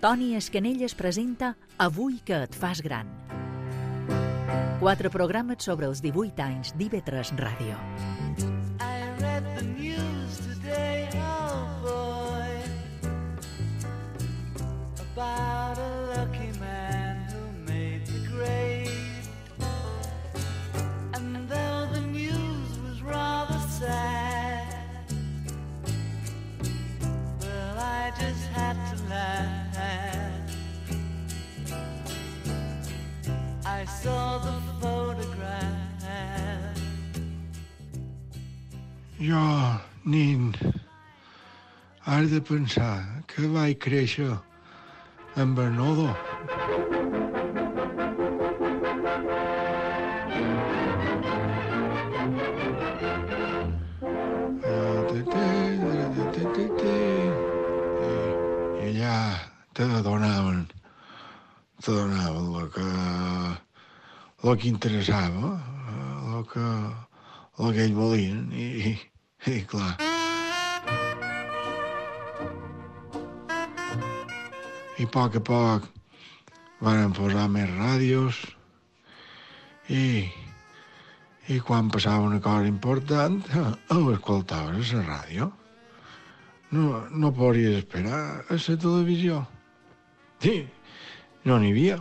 Toni Escanelles presenta Avui que et fas gran. 4 programes sobre els 18 anys d'IV3 Ràdio. I read the news today, oh boy, about a lucky man who made the grade. And though the news was rather sad, well, I just had to laugh. I saw the photograph. Jo, nin, has de pensar que vaig créixer en Bernardo. I allà te donaven el que interessava, el que ells volien, i clar. I a poc van posar més ràdios i quan passava una cosa important ho escoltaves a la ràdio. No podries esperar a la televisió. Sí, no n'hi havia.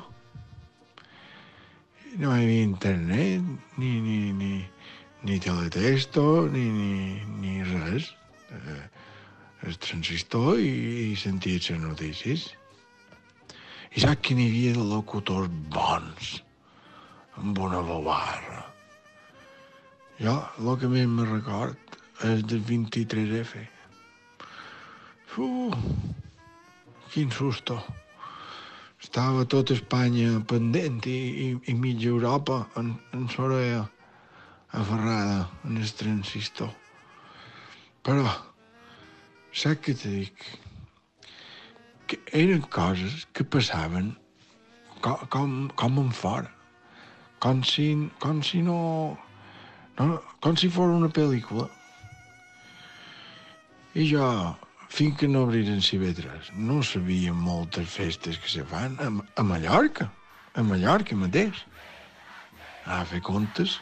No hi havia internet, ni teletexto, ni res. El transistor i senties les notícies. I saps que n'hi havia de locutors bons, amb una bobarra. Jo, el que més me record és del 23F. Quin susto. Estava tota Espanya pendent i mitja Europa en l'orella aferrada en el transistor. Però, saps què te dic? Que eren coses que passaven com en fora. Com si fos una pel·lícula. I jo, fins que no obriren CV3, no sabia moltes festes que se fan a Mallorca mateix. A fer comptes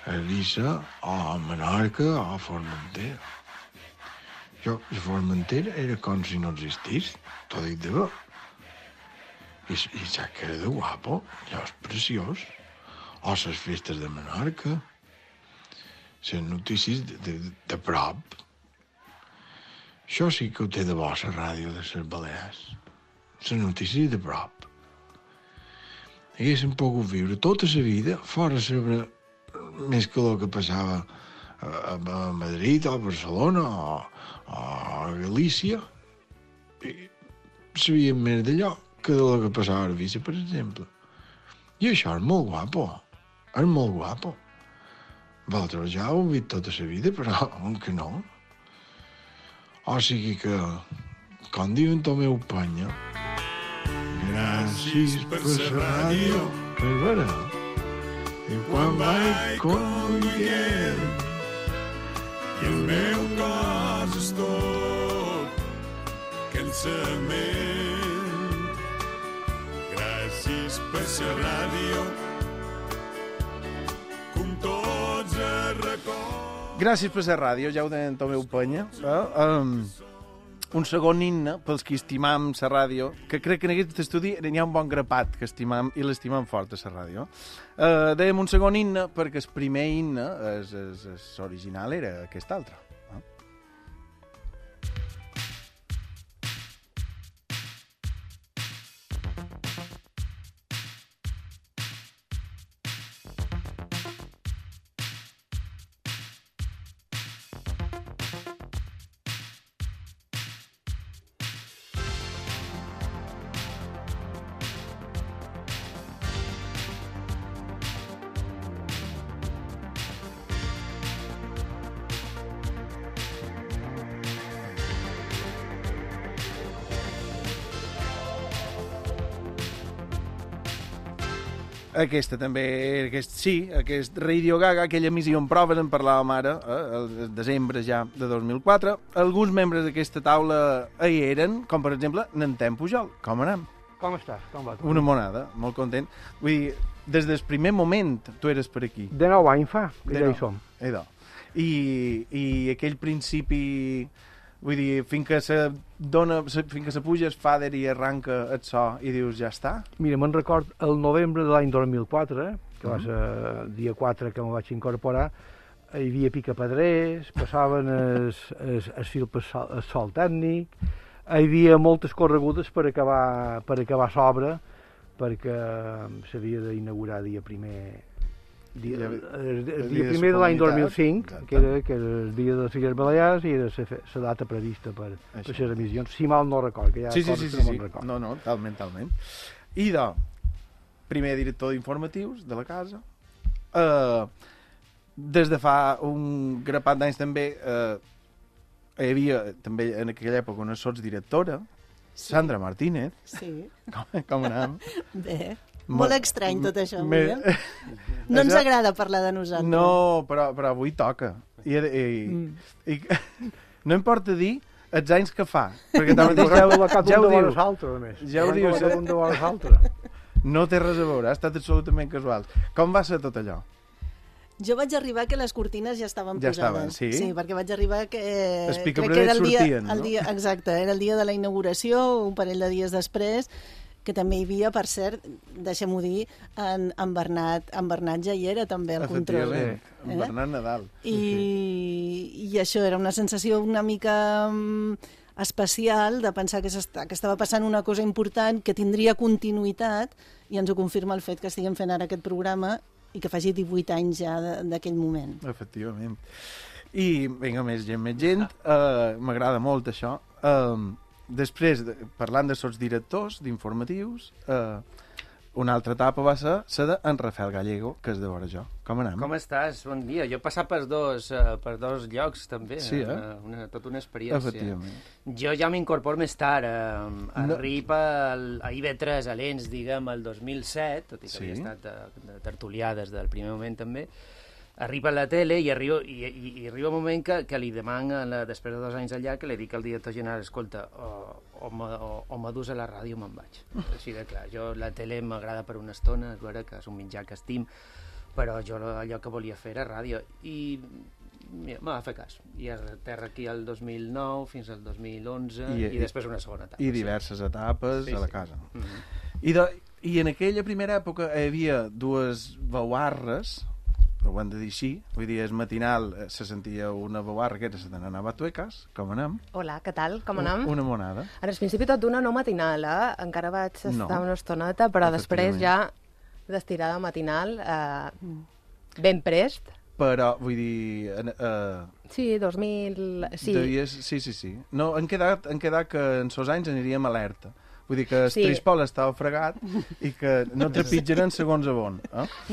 a Eivissa, o a Menorca, o a Formentera. Jo, a Formentera era com si no existís, t'ho dic de bo. I saps que era de guapo, allò és preciós. O les festes de Menorca, les notícies de prop. Això sí que ho té de bo, la ràdio de les Balears. Les notícies de prop. Haguéssim pogut viure tota la vida fora saber més que el que passava a Madrid, o a Barcelona, o a Galícia. I sabíem més d'allò que del que passava a Eivissa, per exemple. I això és molt guapo. És molt guapo. Vosaltres ja ho heu vist tota la vida, però que no. O sigui que, com diu en Tomeu Penya, gràcies per la ràdio, és vera. I quan vaig conduint i el meu cos és tot cansament. Gràcies per la ràdio, com tots els records. Gràcies per la ràdio, ja ho deien Tomeu Penya. Un segon himne pels que estimam la ràdio, que crec que en aquest estudi hi ha un bon grapat que estimam i l'estimam fort a la ràdio. Dèiem un segon himne perquè el primer himne, l'original, era aquest altre. Aquesta també, aquest Radio Gaga, aquella emissió en proves, en parlàvem ara, el desembre ja de 2004. Alguns membres d'aquesta taula hi eren, com per exemple Nantem Pujol. Com anem? Com estàs? Com va? Una monada, molt content. Vull dir, des del primer moment tu eres per aquí. De 9 anys fa, que ja hi som. I aquell principi... Vull dir, fins que se puja el fader i arranca el so i dius, ja està? Mira, me'n record el novembre de l'any 2004, que va ser el dia 4 que me vaig incorporar, hi havia picapedrers, passaven el fil per el sol tècnic, hi havia moltes corregudes per acabar l'obra, perquè s'havia d'inaugurar dia primer el dia primer de l'any 2005, que era el dia de les Illes Balears i era la data prevista per les emissions, si mal no record, que hi ha coses que no me'n record. No, talment. I primer director d'informatius de la casa. Des de fa un grapat d'anys també hi havia també en aquella època una sotsdirectora, Sandra Martínez. Sí. Com anem? Bé. Molt estrany tot això, avui, No ens agrada parlar de nosaltres. No, però avui toca. I no importa dir els anys que fa. Perquè ja ho dius. Ja ho dius. No té res a veure, ha estat absolutament casual. Com va ser tot allò? Jo vaig arribar que les cortines ja estaven posades. Sí? Sí, perquè vaig arribar que... Els picapedrers sortien, no? Exacte, era el dia de la inauguració, un parell de dies després, que també hi havia, per cert, deixem-ho dir, en Bernat ja hi era també al control. Efectivament, en Bernat Nadal. I això era una sensació una mica especial de pensar que estava passant una cosa important, que tindria continuïtat, i ens ho confirma el fet que estiguem fent ara aquest programa i que faci 18 anys ja d'aquell moment. Efectivament. I vinga, més gent, m'agrada molt això. Després, parlant de sotsdirectors, d'informatius, una altra etapa va ser la d'en Rafael Gallego, que és de vora jo. Com anem? Com estàs? Bon dia. Jo he passat per dos llocs, també. Sí, tota una experiència. Efectivament. Jo ja m'incorporo més tard. Arriba a IB3, a l'ENS, diguem, el 2007, tot i que havia estat de tertulià des del primer moment, també. Arriba a la tele i arriba un moment que li demana, després de 2 anys allà, que li dic al director general, escolta, o me dus a la ràdio o me'n vaig. Així de clar, jo la tele m'agrada per una estona, és vera que és un mitjà que estim, però jo allò que volia fer era ràdio. I mira, me va fer cas. I aterra aquí el 2009 fins al 2011 i després una segona etapa. I diverses etapes a la casa. I en aquella primera època hi havia dues veuarres, ho hem de dir així, vull dir, és matinal, se sentia una veuarra que era la de Nana Batuecas, com anem? Hola, què tal, com anem? Una monada. Ara, al principi tot d'una no matinal, encara vaig estar una estoneta, però després ja d'estirada matinal, ben prest. Però, vull dir... Sí, 2000... Sí. No, han quedat que en sos anys aniríem alerta. Vull dir que el Trispol estava fregat i que no trepitjaran segons a on.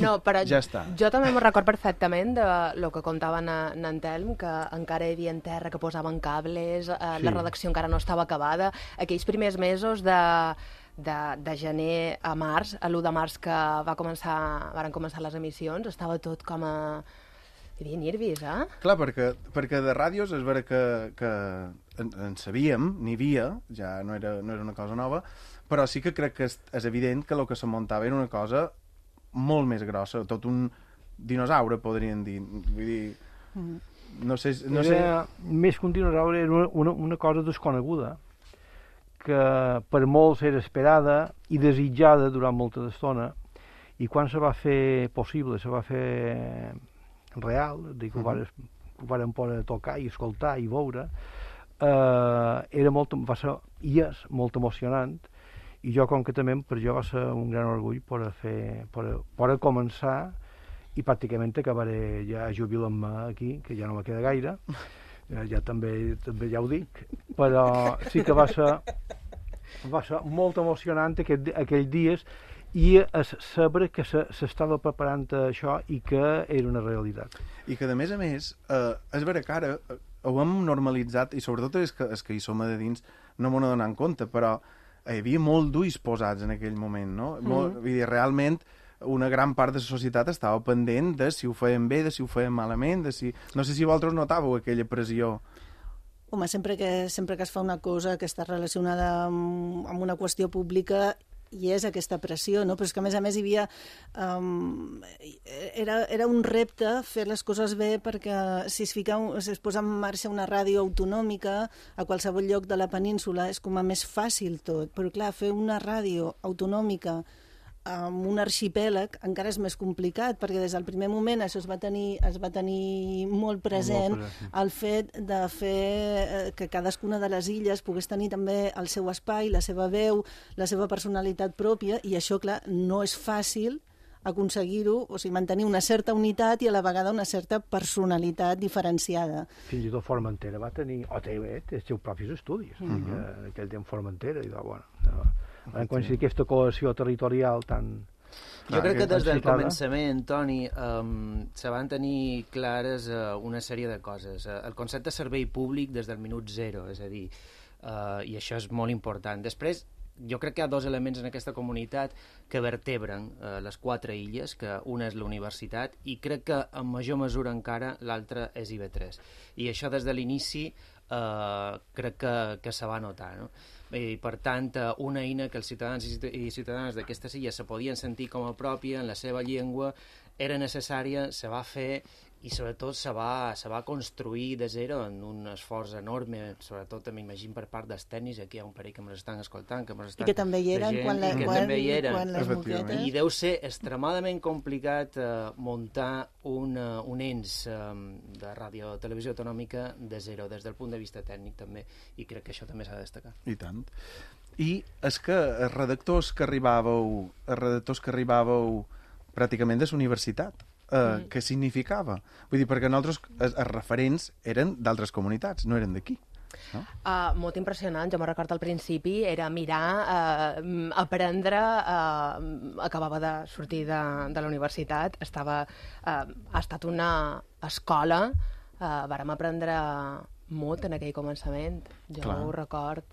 No, però ja està. Jo també me'n record perfectament de lo que contava en Telm, que encara hi havia en terra, que posaven cables, la redacció encara no estava acabada. Aquells primers mesos de gener a març, a l'1 de març que varen començar les emissions, estava tot com a... Hi havia nervis, Clar, perquè de ràdios és vera que en sabíem, n'hi havia, ja no era una cosa nova, però sí que crec que és evident que el que se muntava era una cosa molt més grossa, tot un dinosaure, podríem dir. Vull dir, no sé... Més que un dinosaure, era una cosa desconeguda, que per molts era esperada i desitjada durant molta estona, i quan se va fer possible, se va fer real, que ho varen poder tocar i escoltar i veure, va ser i és molt emocionant, i jo concretament per jo va ser un gran orgull poder començar i pràcticament acabaré ja jubilant-me aquí, que ja no me queda gaire, ja també ja ho dic, però sí que va ser molt emocionant aquells dies, i saber que s'estava preparant això i que era una realitat. I que, a més, és vera que ara ho hem normalitzat, i sobretot és que hi som a dins no m'ho donem compte, però hi havia molt d'ulls posats en aquell moment, no? Vull dir, realment una gran part de la societat estava pendent de si ho feien bé, de si ho feien malament, de si... No sé si vosaltres notàveu aquella pressió. Home, sempre que es fa una cosa que està relacionada amb una qüestió pública, hi és aquesta pressió, no? Però és que, a més, hi havia... Era un repte fer les coses bé perquè si es posa en marxa una ràdio autonòmica a qualsevol lloc de la península és com a més fàcil tot. Però, clar, fer una ràdio autonòmica amb un arxipèlag encara és més complicat, perquè des del primer moment això es va tenir molt present, el fet de fer que cadascuna de les illes pogués tenir també el seu espai, la seva veu, la seva personalitat pròpia, i això, clar, no és fàcil aconseguir-ho, o sigui, mantenir una certa unitat i a la vegada una certa personalitat diferenciada. Fins i tot Formentera va tenir, o té els seus propis estudis, en aquell temps Formentera, i bueno, van coincidir aquesta cohesió territorial tan... Jo crec que des del començament, Toni, se van tenir clares una sèrie de coses. El concepte de servei públic des del minut zero, és a dir, i això és molt important. Després, jo crec que hi ha dos elements en aquesta comunitat que vertebren les 4 illes, que una és la universitat i crec que en major mesura encara l'altra és IB3. I això des de l'inici crec que se va notar, no? I, per tant, una eina que els ciutadans i ciutadanes d'aquestes illes se podien sentir com a pròpia en la seva llengua era necessària, se va fer i sobretot se va construir de zero en un esforç enorme, sobretot m'imagino per part dels tècnics, aquí hi ha un parell que m'estan escoltant, que m'estan... I que també hi eren quan les moquetes... I deu ser extremadament complicat muntar un ens de ràdio televisió autonòmica de zero, des del punt de vista tècnic també, i crec que això també s'ha de destacar. I tant. I és que els redactors que arribàveu pràcticament de la universitat, què significava? Vull dir, perquè nosaltres, els referents eren d'altres comunitats, no eren d'aquí. No? Molt impressionant. Jo me'n recordo al principi, era mirar, aprendre, acabava de sortir de la universitat, ha estat una escola, vàrem aprendre molt en aquell començament, jo ho record.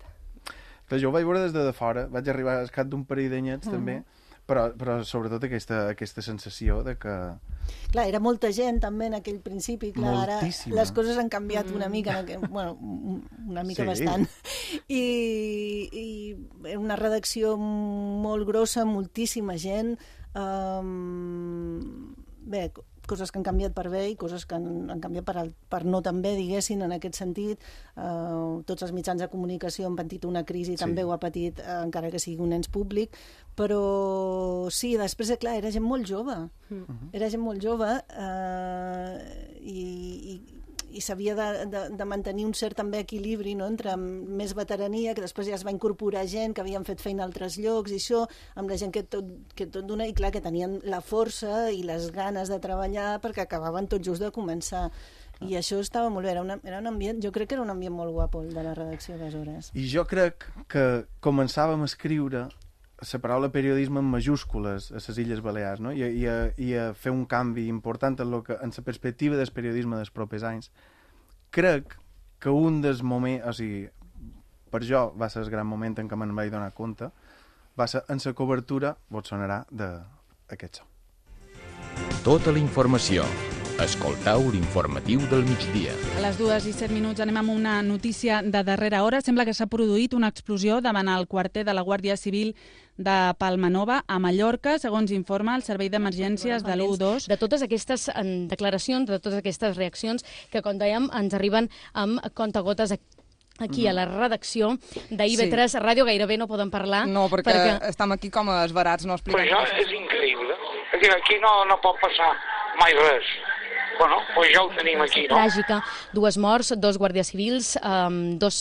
Jo ho vaig veure des de fora, vaig arribar al cap d'un parell d'anyets també, però sobretot aquesta sensació de que... Clar, era molta gent també en aquell principi, clar, moltíssima. Ara les coses han canviat una mica, bueno, una mica bastant, i era una redacció molt grossa, moltíssima gent, bé, coses que han canviat per bé i coses que han canviat per no tan bé, diguessin, en aquest sentit. Tots els mitjans de comunicació han patit una crisi, també ho ha patit, encara que sigui un ens públic, però sí, després, clar, era gent molt jove. Era gent molt jove i s'havia de mantenir un cert també equilibri, no?, entre més veterania, que després ja es va incorporar gent que havien fet feina a altres llocs i això, amb la gent que tot dona, i clar, que tenien la força i les ganes de treballar perquè acabaven tot just de començar. I això estava molt bé, era un ambient, jo crec que era un ambient molt guapo, el de la redacció aleshores. I jo crec que començàvem a escriure la paraula periodisme en majúscules a les Illes Balears, no? I a fer un canvi important en la perspectiva del periodisme dels propers anys. Crec que un dels moments, o sigui, per jo va ser el gran moment en què me'n vaig donar compte, va ser en la cobertura, vos sonarà, d'aquest so. Tota la informació. Escoltau l'informatiu del migdia. A les 2:07 anem amb una notícia de darrera hora. Sembla que s'ha produït una explosió davant el quarter de la Guàrdia Civil de Palmanova, a Mallorca, segons informa el Servei d'Emergències de l'112. De totes aquestes declaracions, de totes aquestes reaccions que, com dèiem, ens arriben amb contagotes aquí a la redacció d'IB3 Ràdio, gairebé no poden parlar. No, perquè estem aquí com a esbarats, no expliquem. Però això és increïble. Aquí no pot passar mai res. Bueno, doncs ja ho tenim aquí, no? Tràgica. 2 morts, 2 guàrdies civils, 2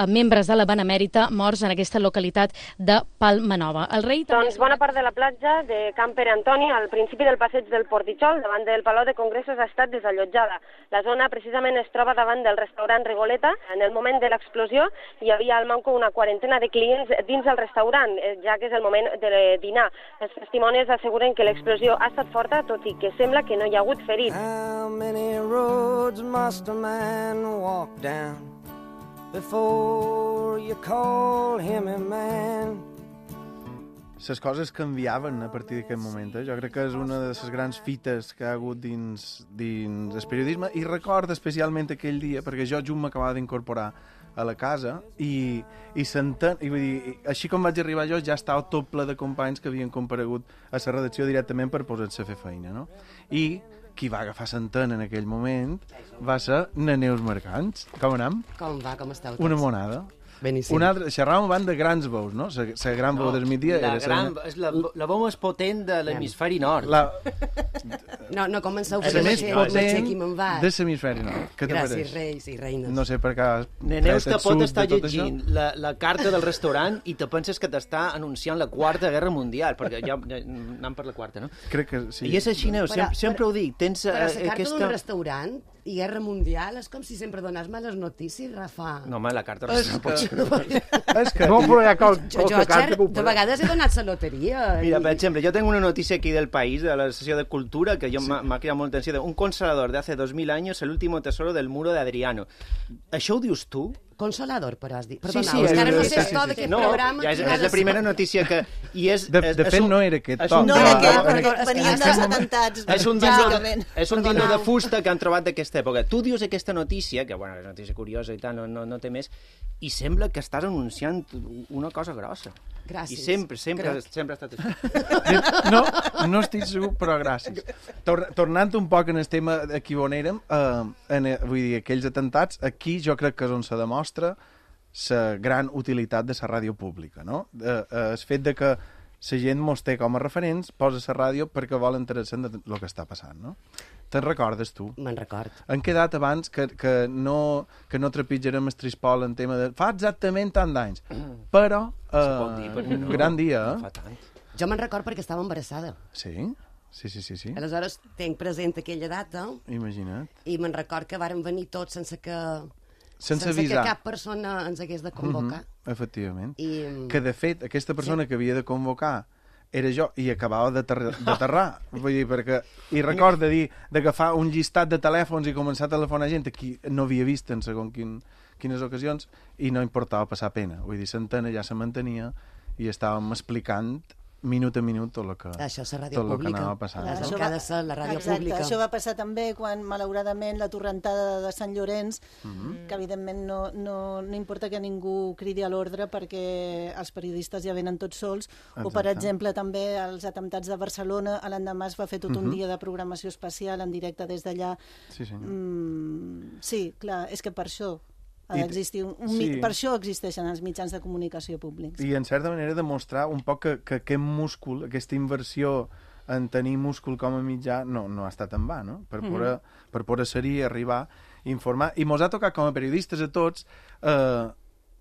membres de la Benemèrita morts en aquesta localitat de Palmanova. El rei... Doncs bona part de la platja de Camp Pere Antoni, al principi del passeig del Portitxol, davant del Palau de Congressos, ha estat desallotjada. La zona precisament es troba davant del restaurant Rigoleta. En el moment de l'explosió hi havia al manco una quarantena de clients dins del restaurant, ja que és el moment de dinar. Els testimonis asseguren que l'explosió ha estat forta, tot i que sembla que no hi ha hagut ferits. How many roads must a man walk down before you call him a man? les coses canviaven a partir d'aquest moment. Jo crec que és una de les grans fites que ha hagut dins el periodisme, i recordo especialment aquell dia, perquè jo just m'acabava d'incorporar a la casa i vull dir, així com vaig arribar jo, ja estava tot ple de companys que havien comparegut a la redacció directament per posar-se a fer feina, no? I qui va agafar l'antena en aquell moment va ser na Neus Mercants. Com anem? Com va? Com esteu tots? Una monada. Beníssim. Una altra, xerràvem abans de grans veus, no? La gran veu del migdia és la veu més potent de l'hemisferi nord. No comenceu la més potent de l'hemisferi nord. Què te Gràcies, reis i reines. No sé per què... Neus te pot estar llegint la carta del restaurant i te penses que t'està anunciant la Quarta Guerra Mundial, perquè ja anem per la quarta, no? Crec que sí. I és així, Neus, sempre ho dic. Tens però la carta d'un restaurant i Guerra Mundial és com si sempre donàs males notícies, Rafa. No, home, la carta del restaurant és que... No, però hi ha jo, de vegades he donat la loteria. Mira, per exemple, jo tengo una notícia aquí del País, de la sessió de Cultura, que m'ha cridat molta atenció. Un consolador de hace 2000 años, el último tesoro del muro de Adriano. Això ho dius tu? Consolador, però has dit. Perdona, sí, encara no sé tot d'aquest programa. Ja és la primera notícia que... De fet, no era aquest to. No era aquest, venien dels atemptats. És un dino de fusta que han trobat d'aquesta època. Tu dius aquesta notícia, que bueno, és una notícia curiosa i tal, no té més, i sembla que estàs anunciant una cosa grossa. Gràcies. I sempre ha estat així. No estic segur, però gràcies. Tornant un poc en el tema aquí on érem, vull dir, aquells atemptats, aquí jo crec que és on se demostra la gran utilitat de la ràdio pública, no? El fet de que la gent mos té com a referents, posa la ràdio perquè vol enterar-se del que està passant, no? Te'n recordes, tu? Me'n record. Han quedat abans que no trepitjarem el trispol en tema de... Fa exactament tant d'anys. Però, un gran dia, Jo me'n record perquè estava embarassada. Sí? Sí. Aleshores, tenc present aquella data. Imagina't. I me'n record que vàrem venir tots sense que avisar. Que cap persona ens hagués de convocar. Efectivament. Que, de fet, aquesta persona que havia de convocar era jo, i acabava d'aterrar. Vull dir, perquè... I recorda dir d'agafar un llistat de telèfons i començar a telefonar gent a qui no havia vist en segons quines ocasions, i no importava passar pena. Vull dir, l'antena ja se mantenia i estàvem explicant minut a minut tot el que anava passant. Això ha de ser la ràdio pública. Això va passar també quan, malauradament, la torrentada de Sant Llorenç, que evidentment no importa que ningú cridi a l'ordre perquè els periodistes ja venen tots sols, o per exemple també els atemptats de Barcelona, a l'endemà es va fer tot un dia de programació especial en directe des d'allà. Sí, clar, és que per això ha d'existir per això existeixen els mitjans de comunicació públics. I en certa manera demostrar un poc que aquest múscul, aquesta inversió en tenir múscul com a mitjà no ha estat en va, no? Per poder ser-hi, arribar, informar. I mos ha tocat com a periodistes a tots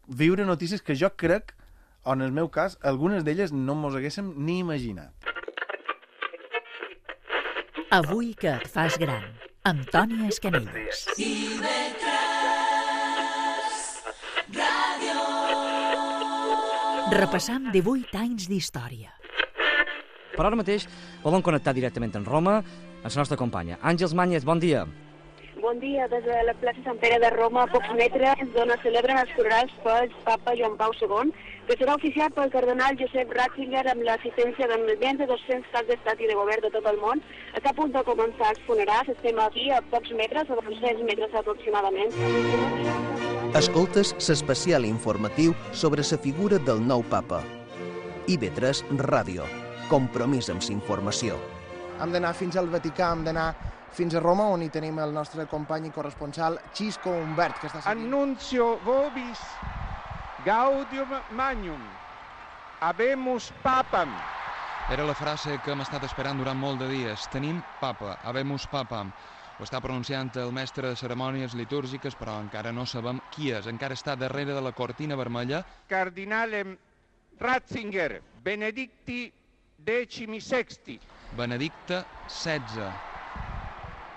viure notícies que jo crec, o en el meu cas, algunes d'elles no mos haguéssim ni imaginat. Avui que et fas gran, amb Toni Escanelles. Repassam 18 anys d'història. Per ara mateix volem connectar directament amb Roma amb la nostra companya. Àngels Màñez, bon dia. Bon dia, des de la plaça Sant Pere de Roma, a pocs metres, d'on es celebren els funerals pel papa Joan Pau II, que serà oficiat pel cardenal Josep Ratzinger amb l'assistència de més de 200 caps d'estat i de govern de tot el món. Està a punt de començar els funerals, estem aquí a pocs metres, a 200 metres aproximadament. Escoltes l'especial informatiu sobre la figura del nou papa. IB3 Ràdio. Compromís amb la informació. Hem d'anar fins al Vaticà, hem d'anar fins a Roma, on hi tenim el nostre company i corresponsal Xisco Humbert, que està seguint. Annuncio vobis gaudium magnum. Habemus papam. Era la frase que hem estat esperant durant molt de dies. Tenim papa, habemus papam. Ho està pronunciant el mestre de cerimònies litúrgiques, però encara no sabem qui és. Encara està darrere de la cortina vermella. Cardinalem Ratzinger, Benedicti XVI. Benedicte XVI.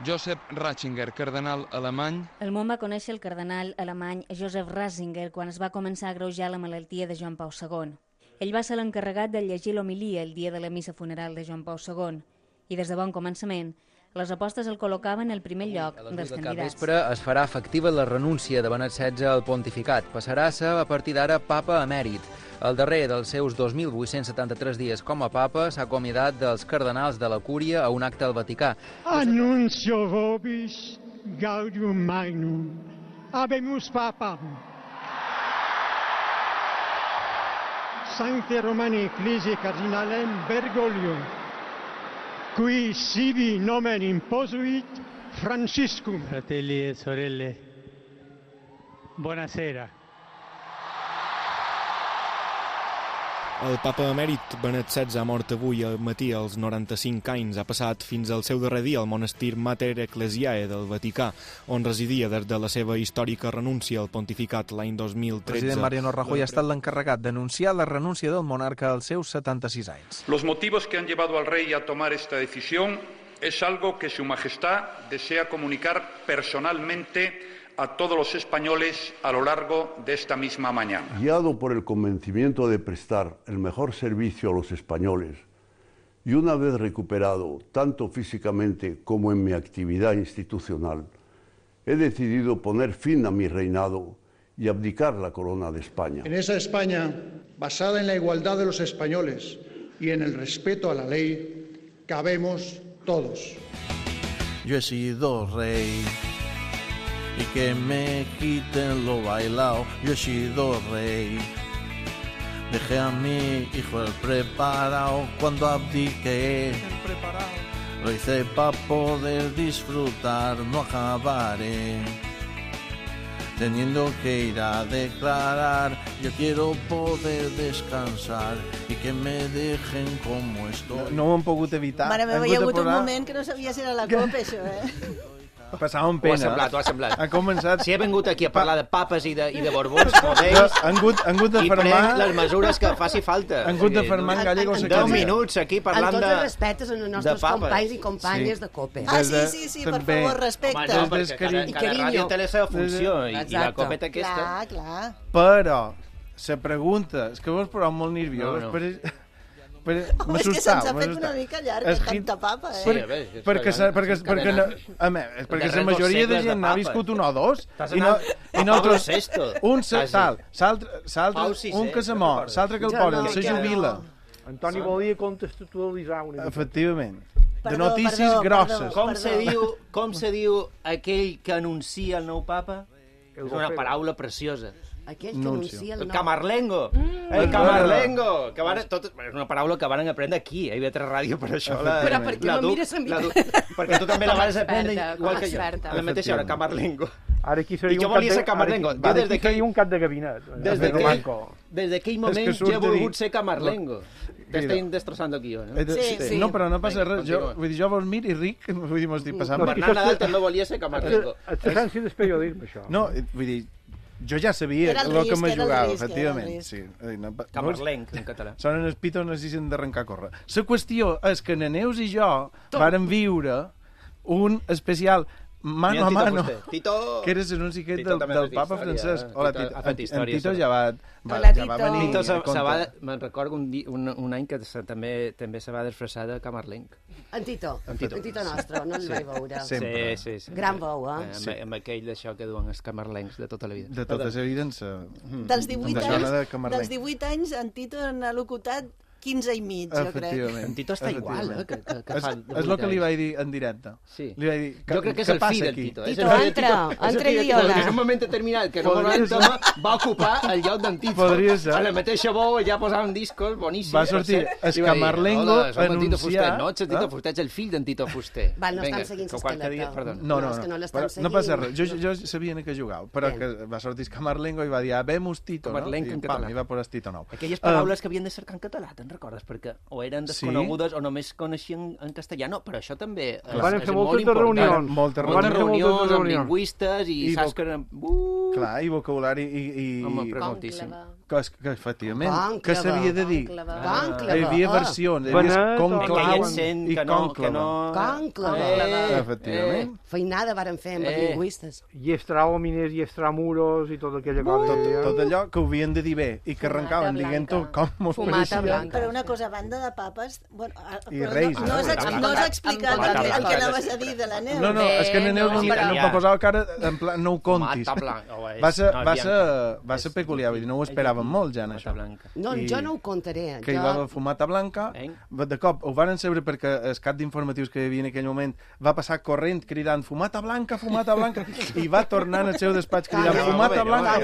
Josep Ratzinger, cardenal alemany. El món va conèixer el cardenal alemany Joseph Ratzinger quan es va començar a agreujar la malaltia de Joan Pau II. Ell va ser l'encarregat de llegir l'homilia el dia de la missa funeral de Joan Pau II. I des de bon començament, les apostes el col·locaven al primer lloc dels candidats. Vespre es farà efectiva la renúncia de Benet XVI al pontificat. Passarà a ser, a partir d'ara, papa emèrit. El darrer dels seus 2.873 dies com a papa s'ha acomiadat dels cardenals de la Cúria a un acte al Vaticà. Annuncio vobis gaudium magnum, habemus papam. Sancte Romani Ecclesiae Cardinalem Bergoglio, qui sibi nomen imposuit Franciscum. Fratelli e sorelle, buonasera. El papa emèrit Benet XVI ha mort avui al matí als 95 anys. Ha passat fins al seu darrer dia al monestir Mater Ecclesiae del Vaticà, on residia des de la seva històrica renúncia al pontificat l'any 2013. El president Mariano Rajoy ha estat l'encarregat d'anunciar la renúncia del monarca als seus 76 anys. Los motivos que han llevado al rey a tomar esta decisión es algo que su majestad desea comunicar personalmente a todos los españoles a lo largo de esta misma mañana. Guiado por el convencimiento de prestar el mejor servicio a los españoles y una vez recuperado tanto físicamente como en mi actividad institucional, he decidido poner fin a mi reinado y abdicar la corona de España. En esa España, basada en la igualdad de los españoles y en el respeto a la ley, cabemos todos. Yo he sido rey y que me quiten lo bailao. Yo he sido rey, dejé a mi hijo el preparado. Cuando abdiqué, lo hice para poder disfrutar. No acabaré teniendo que ir a declarar. Yo quiero poder descansar y que me dejen como estoy. No ho hem pogut evitar. Mare meva, hi ha hagut un moment que no sabia si era la copa, això, Passava un pena. Ho ha semblat. Ha començat... Si he vingut aquí a parlar de papes i de borbons, com ells, han hagut de i fermar... prenc les mesures que faci falta. Han hagut de fermar en Gallegos... 10 minuts aquí parlant de... Amb tots els respectes als nostres companys i companyes de COPE. Ah, sí, per favor, respecte. Home, no, perquè cada ràdio té la seva funció i la COPE té aquesta. Clar. Però, la pregunta... És que vos poseu molt nerviós. Home, és que se'ns ha fet una mica llarga, tanta papa, Perquè la majoria de gent n'ha viscut un o dos, i nosaltres... Un que se mor, l'altre que el posen, se jubila. Antoni volia contextualitzar una mica. Efectivament. De notícies grosses. Com se diu aquell que anuncia el nou papa? És una paraula preciosa. Aquell que anuncia el nou... El camarlengo! El camarlengo! És una paraula que van aprendre aquí, a IB3 Ràdio, per això. Però per què no mires a mi? Perquè tu també la vas aprendre igual que jo. A la mateixa hora, camarlengo. Ara aquí seria un cap de gabinet. Des d'aquell moment jo he volgut ser camarlengo. T'estic destrossant aquí jo, no? Sí. No, però no passa res. Jo vos miro i ric, vull dir, m'ho estic passant. Bernat Nadal també volia ser camarlengo. L'essència del periodisme, això. No, vull dir, jo ja sabia el que me jugava, efectivament. Sí. Camarlenc, en català. Sonen els pitos, necessiten d'arrencar a córrer. La qüestió és que Neus i jo vàrem viure un especial mano a mano, que era l'anunci del papa Francesc. Hola, Tito. En Tito ja va venir. Me'n recordo un any que també se va disfressar de camarlenc. En Tito nostre, no el vaig veure. Sí. Gran veu, Amb aquell d'això que duen els camarlencs de tota la vida. De tota la vida. Dels 18 anys, en Tito n'ha locutat 15 i mig, jo crec. En Tito està igual, que fa... És el que li vaig dir en directe. Sí. Li vaig dir, jo crec que és el fill del Tito. Tito, entra i diola. En un moment determinat, que normalment va ocupar el lloc d'en Tito. Podria ser. A la mateixa veu ja posaven discos boníssims. Va sortir Escamarlengo anunciar... No, ets el Tito Fuster, ets el fill d'en Tito Fuster. Val, no estan seguint l'esqueleta. No passa res. Jo sabia que jugava, però que va sortir Escamarlengo i va dir, vemos Tito, no? I va posar Tito nou. Aquelles paraules que havien de cercar en català, te'n recordes? Perquè o eren desconegudes o només coneixien en castellà. No, però això també és molt important. Moltes reunions amb lingüistes i saps que eren... Clar, i vocabulari i... Home, però moltíssim. Que efectivament, que s'havia de dir. Hi havia versions, hi havia conclau i conclava. Efectivament. Feinada varen fer amb els lingüistes. I extraòmines i extramuros i tot aquella cosa. Tot allò que ho havien de dir bé i que arrencaven dient-ho com mos pareixia. Però una cosa, a banda de papes... I reis. No has explicat el que anaves a dir de la Neus. No, és que la Neus no posava cara en plan, no ho contis. Va ser peculiar, no ho esperava comptaven molt ja en això. No, jo no ho contaré. Que hi va haver fumata blanca, de cop ho van saber perquè el cap d'informatius que hi havia en aquell moment va passar corrent cridant fumata blanca, i va tornar al seu despatx cridant fumata blanca.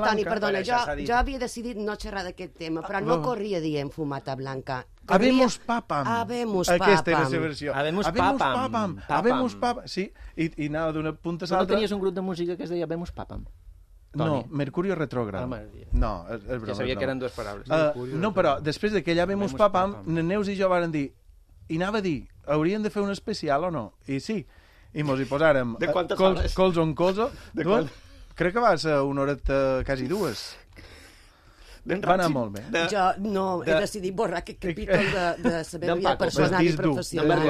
Toni, perdona, jo havia decidit no xerrar d'aquest tema, però no corria dient fumata blanca. Habemos papam. Aquesta era la seva versió. Habemos papam. Habemos papam. Sí, i anava d'una punta a l'altra. No tenies un grup de música que es deia Habemos papam? No, Mercurio retrógrado. No, és broma. Ja sabia que eren dues paraules. No, però després de que ja Habemos papam, Neus i jo varen dir, i anava a dir, haurien de fer un especial o no? I sí, i mos hi posàrem colzo on colzo. Crec que va ser una horeta, quasi dues. Va anar molt bé. Jo no he decidit borrar aquest capítol de la meva vida personal i professional.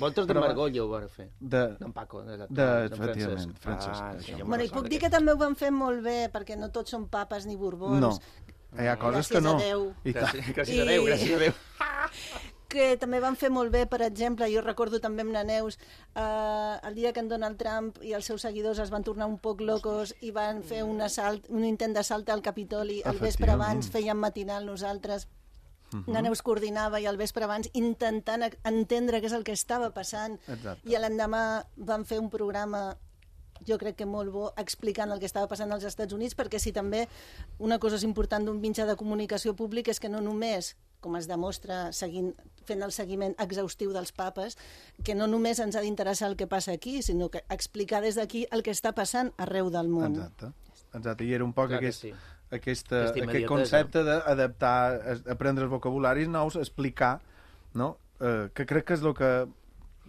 Voltes de Margollo ho van fer. D'en Paco. Efectivament, Francesc. Bueno, i puc dir que també ho van fer molt bé, perquè no tots són papes ni borbons. No, hi ha coses que no. Gràcies a Déu, gràcies a Déu. Que també van fer molt bé, per exemple, jo recordo també amb la Neus, el dia que en Donald Trump i els seus seguidors es van tornar un poc locos i van fer un intent d'assalt al Capitoli, el vespre abans fèiem matinal nosaltres, la Neus coordinava i el vespre abans intentant entendre què és el que estava passant. I l'endemà van fer un programa, jo crec que molt bo, explicant el que estava passant als Estats Units, perquè si també una cosa és important d'un mitjà de comunicació públic és que no només, com es demostra fent el seguiment exhaustiu dels papes, que no només ens ha d'interessar el que passa aquí, sinó que explicar des d'aquí el que està passant arreu del món. Exacte. I era un poc aquest concepte d'adaptar, aprendre els vocabularis nous, explicar, no? Que crec que és el que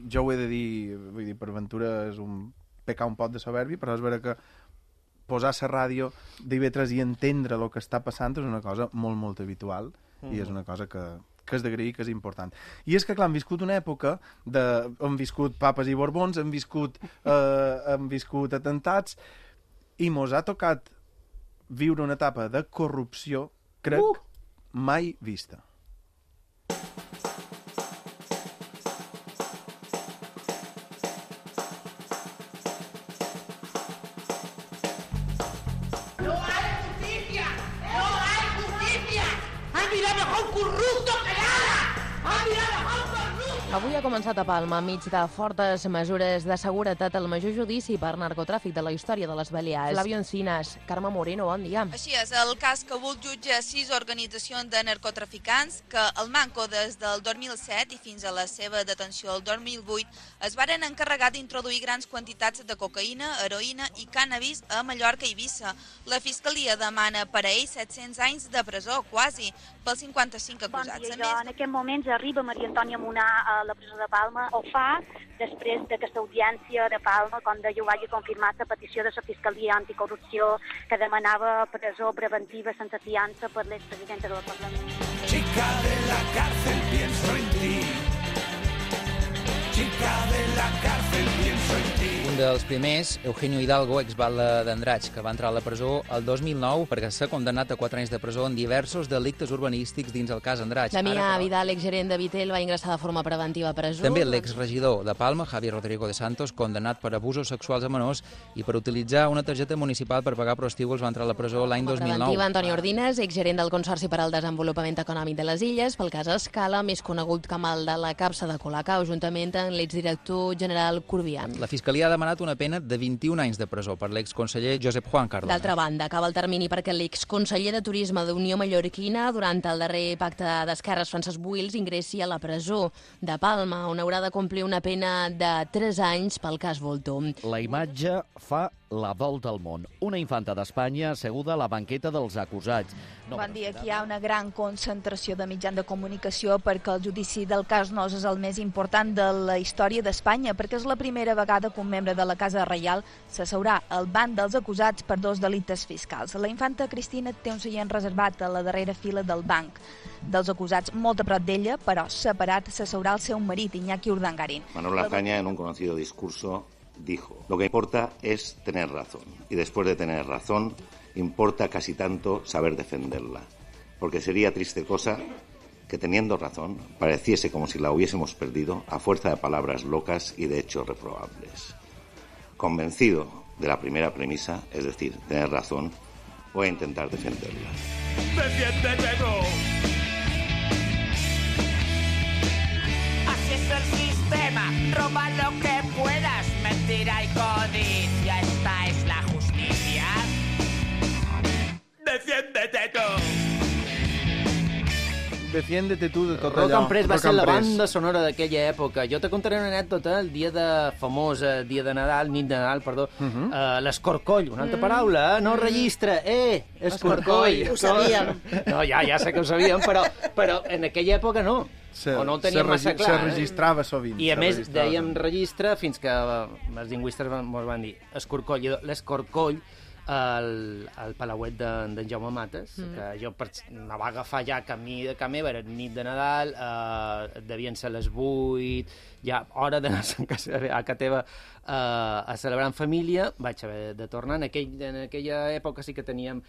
jo ho he de dir, vull dir, per ventura és pecar un pot de soberbi, però és vera que posar la ràdio d'IV3 i entendre el que està passant és una cosa molt, molt habitual i és una cosa que és d'agrair, que és important. I és que, clar, hem viscut una època hem viscut papes i borbons, hem viscut atentats i mos ha tocat viure una etapa de corrupció, crec, mai vista. Avui ha començat a Palma, enmig de fortes mesures de seguretat, el major judici per narcotràfic de la història de les Balears. Flavio Encinas, Carme Moreno, bon dia. Així és, el cas que vol jutja 6 organitzacions de narcotraficants que el Manco des del 2007 i fins a la seva detenció el 2008 es varen encarregar d'introduir grans quantitats de cocaïna, heroïna i cànnabis a Mallorca i Eivissa. La Fiscalia demana per a ells 700 anys de presó, quasi, pels 55 acusats. Bon dia, en aquest moments arriba Maria Antònia Munar a la presó de Palma, ho fa després d'aquesta audiència de Palma, com deia, ho hagi confirmat la petició de la Fiscalia Anticorrupció que demanava presó preventiva sense fiança per l'expresidenta del Parlament. Chica de la cárcel, pienso en ti. Chica de la cárcel, pienso en ti. Un dels primers, Eugenio Hidalgo, exbatlle d'Andratx, que va entrar a la presó el 2009 perquè s'ha condemnat a 4 anys de presó en diversos delictes urbanístics dins el cas Andratx. Damià Vidal, exgerent de Vitel, va ingressar de forma preventiva a presó. També l'exregidor de Palma, Javier Rodrigo de Santos, condemnat per abusos sexuals a menors i per utilitzar una targeta municipal per pagar prostíbuls, va entrar a la presó l'any 2009. Preventiva, Antoni Ordines, exgerent del Consorci per al Desenvolupament Econòmic de les Illes, pel cas Escala, més conegut com el de la capsa de Colacao, juntament amb l'exdirector general Corbián. La Fiscalia ha demanat una pena de 21 anys de presó per l'exconseller Josep Juan Cardona. D'altra banda, acaba el termini perquè l'exconseller de Turisme d'Unió Mallorquina, durant el darrer pacte d'esquerres, Francesc Buils, ingressi a la presó de Palma, on haurà de complir una pena de 3 anys pel cas Volto. La imatge fa la volta al món. Una infanta d'Espanya asseguda a la banqueta dels acusats. Bon dia, aquí hi ha una gran concentració de mitjans de comunicació perquè el judici del cas Nos és el més important de la història d'Espanya, perquè és la primera vegada que un membre de la Casa Reial s'asseurà al banc dels acusats per 2 delictes fiscals. La infanta Cristina té un seient reservat a la darrera fila del banc dels acusats, molt a prop d'ella, però separat s'asseurà el seu marit, Iñaki Urdangarín. Manuel Lazaña, en un conocido discurso, dijo: lo que importa es tener razón, y después de tener razón, importa casi tanto saber defenderla, porque sería triste cosa que teniendo razón pareciese como si la hubiésemos perdido a fuerza de palabras locas y de hechos reprobables. Convencido de la primera premisa, es decir, tener razón, voy a intentar defenderla. ¡Defiéndete tú! Así es el sistema, roba lo que puedas, mentira y codicia, esta es la justicia. ¡Defiéndete tú! Defiéndete tu de tot allò. Rock and Press va ser la banda sonora d'aquella època. Jo te contaré una anècdota el dia de dia de Nadal, nit de Nadal, perdó, l'escorcoll, una altra paraula, no registre, escorcoll. Ho sabíem. No, ja sé que ho sabíem, però en aquella època no. O no ho teníem massa clar. Se registrava sovint. I a més dèiem registre fins que els lingüistes ens van dir escorcoll. L'escorcoll al Palauet d'en Jaume Mates, que jo me va agafar ja camí de casa meva, era nit de Nadal, devien ser les 8, ja hora d'anar a casa teva a celebrar en família, vaig haver de tornar. En aquella època sí que teníem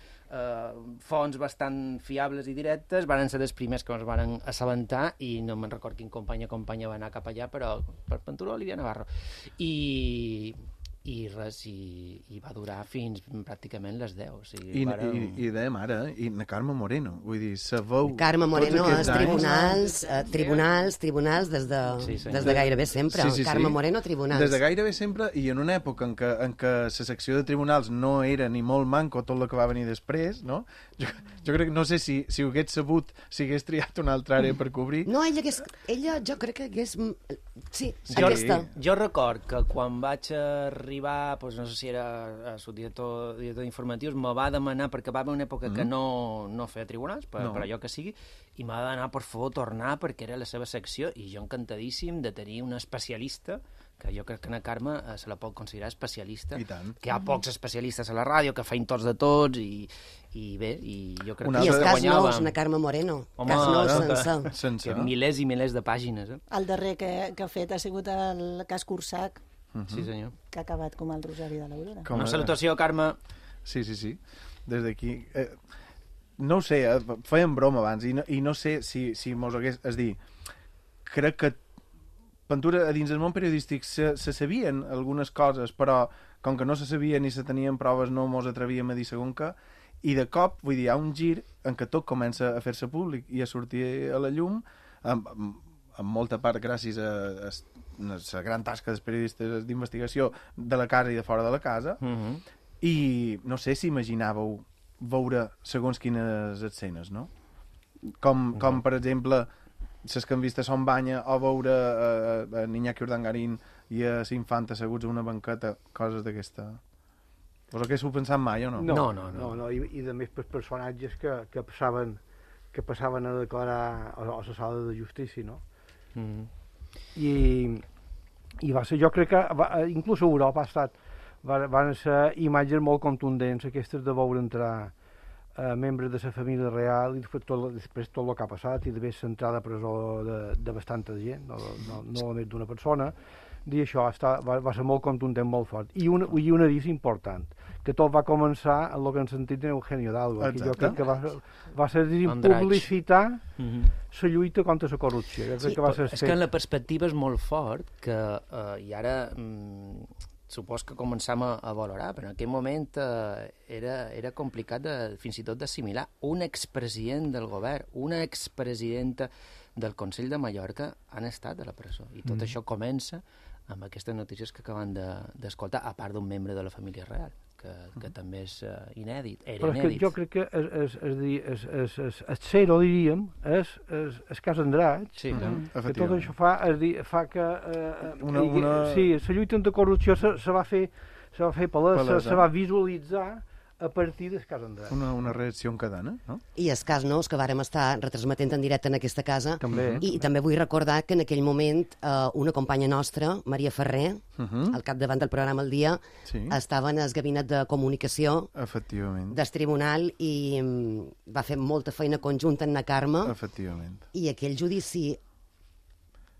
fonts bastant fiables i directes, van ser els primers que ens van assabentar i no me'n record quin company va anar cap allà, però per Ventura Olivia Navarro. I res, i va durar fins pràcticament les 10. O sigui, I dèiem ara, i na Carme Moreno, vull dir, sabeu... Carme Moreno és tribunals des de gairebé sempre. Carme Moreno, tribunals. Des de gairebé sempre, i en una època en què la secció de tribunals no era ni molt manco tot el que va venir després, no? Jo crec que, no sé si ho hagués sabut, si hagués triat una altra àrea per cobrir. No, ella jo crec que hagués... Sí, aquesta. Jo record que quan vaig arribar, doncs no sé si era subdirector d'informatius, me va demanar, perquè va haver una època que no feia tribunals, per allò que sigui, i m'ha de demanar, per favor, tornar, perquè era la seva secció, i jo encantadíssim de tenir un especialista, que jo crec que na Carme se la pot considerar especialista, que hi ha pocs especialistes a la ràdio, que feien tots de tots, i bé, i jo crec que I els cas nous, na Carme Moreno. Cas nous sense. Milers i milers de pàgines. El darrer que ha fet ha sigut el cas Cursac, sí, senyor. Que ha acabat com el Rosari de l'Aurora. Una salutació, Carme. Sí. Des d'aquí... No ho sé, fèiem broma abans, i no sé si mos hagués... És dir, crec que Ventura, a dins del món periodístic se sabien algunes coses, però com que no se sabien ni se tenien proves no mos atrevíem a dir segon què, i de cop, vull dir, hi ha un gir en què tot comença a fer-se públic i a sortir a la llum, en molta part gràcies a la gran tasca dels periodistes d'investigació de la casa i de fora de la casa, i no sé si imaginàveu veure segons quines escenes, no? Com per exemple, les que han vist a Son Banya o veure a Iñaki Urdangarín i a l'Infant asseguts a una banqueta, coses d'aquesta... Vos haguéssiu pensat mai o no? No, i de més per personatges que passaven a declarar a la sala de justícia, no? I va ser, jo crec que inclús a Europa van ser imatges molt contundents aquestes de veure entrar membres de la família real i després tot el que ha passat i d'haver centrat a presó de bastanta gent, no només d'una persona, i això va ser molt contundent, molt fort. I un avís important, que tot va començar en el que hem sentit d'Eugenio Hidalgo, que jo crec que va ser publicitar la lluita contra la corrupció. Sí, és que en la perspectiva és molt fort, que i ara... supos que començam a valorar, però en aquell moment era complicat fins i tot d'assimilar. Un expresident del govern, una expresidenta del Consell de Mallorca han estat a la presó. I tot això comença amb aquestes notícies que acaben d'escoltar, a part d'un membre de la família real, que també és inèdit. Però és que jo crec que el zero, diríem, és cas Andratx, que tot això fa que... Sí, la lluita de corrupció se va fer palesa, se va visualitzar a partir del cas Andratx. Una reacció en cadena, no? I el cas nous, que vàrem estar retransmetent en directe en aquesta casa, també. I també vull recordar que en aquell moment una companya nostra, Maria Ferrer, al capdavant del programa El Dia, estava en el gabinet de comunicació del tribunal i va fer molta feina conjunta amb na Carme. Efectivament. I aquell judici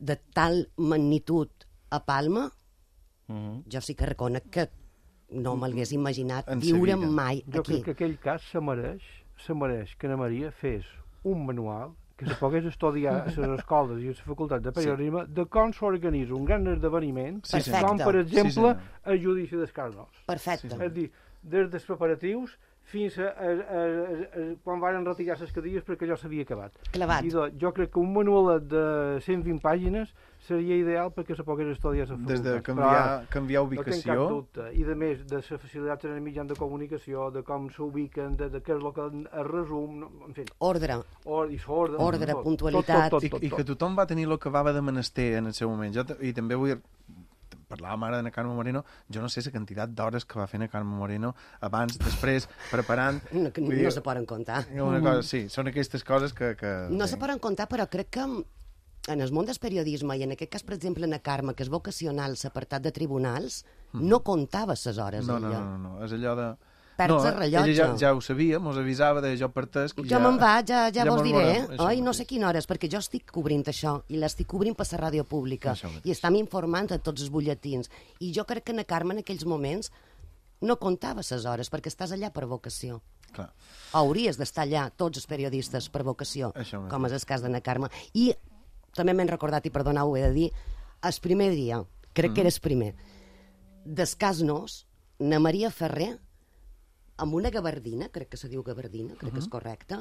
de tal magnitud a Palma, jo sí que reconec que no me'l imaginat viure mai aquí. Jo crec que aquell cas se mereix que na Maria fes un manual que se pogués estudiar a les escoles i a la facultat de periodisme de com s'organitza un gran esdeveniment, com per exemple el judici dels cas nous. Perfecte. És dir, des dels preparatius fins a quan van retirar les cadires perquè allò s'havia acabat. Clavat. I jo crec que un manualet de 120 pàgines seria ideal perquè se pogués estudiar la facultat. Des de canviar ubicació. No tinc cap dubte. I, a més, de la facilitat en el mitjan de comunicació, de com s'ubiquen, de què és el que es resum, en fi. Ordre. Ordre, puntualitat. I que tothom va tenir el que va de menester en el seu moment. I també vull... Parlàvem ara de Carme Moreno, jo no sé la quantitat d'hores que va fer a Carme Moreno abans, després, preparant... No se poden comptar. Sí, són aquestes coses que... No se poden comptar, però crec que en el món del periodisme, i en aquest cas, per exemple, en Carme, que és vocacional, l'apartat de tribunals, no comptava les hores. No, és allò de... Perds el rellotge. Ella ja ho sabia, mos avisava de jo parteix... Jo me'n vaig, ja vos diré, oi? No sé quina hora és, perquè jo estic cobrint això, i l'estic cobrint per la ràdio pública, i estem informant a tots els butlletins. I jo crec que en Carme, en aquells moments, no comptava les hores, perquè estàs allà per vocació. Clar. Hauries d'estar allà, tots els periodistes, per vocació, com és el cas d'Anna Carme. I també m'he recordat, i perdoneu, ho he de dir, el primer dia, crec que era el primer, d'Escasnos, na Maria Ferrer, amb una gabardina, crec que se diu gabardina, crec que és correcte,